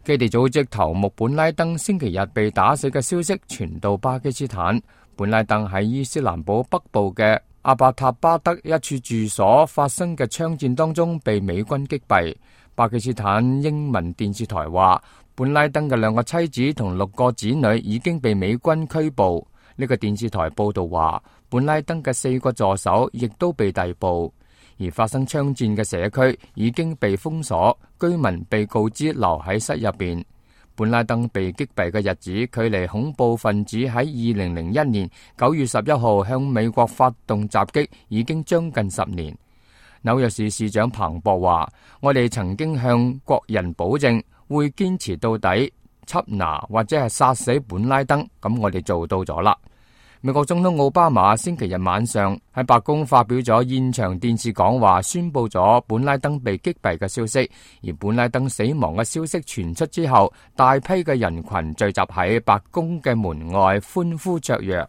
基地組織頭目本拉登星期日被打死嘅消息傳到巴基斯坦。本拉登喺伊斯蘭堡北部嘅阿伯塔巴德一處住所發生嘅槍戰當中被美軍擊斃。巴基斯坦英文電視台話，本拉登嘅2個妻子同6個子女已經被美軍拘捕。呢個電視台報道話，本拉登嘅4個助手亦都被逮捕。而發生槍戰嘅社區已經被封鎖，居民被告知留喺室入邊。本拉登被擊斃嘅日子，距離恐怖分子喺2001年9月11號向美國發動襲擊已經將近10年。紐約市市長彭博話：我哋曾經向國人保證會堅持到底，緝拿或者係殺死本拉登，咁我哋做到咗啦。美國總統奧巴馬星期日晚上喺白宮發表咗現場電視講話，宣布咗本拉登被擊斃嘅消息。而本拉登死亡嘅消息傳出之後，大批嘅人群聚集喺白宮嘅門外歡呼雀躍。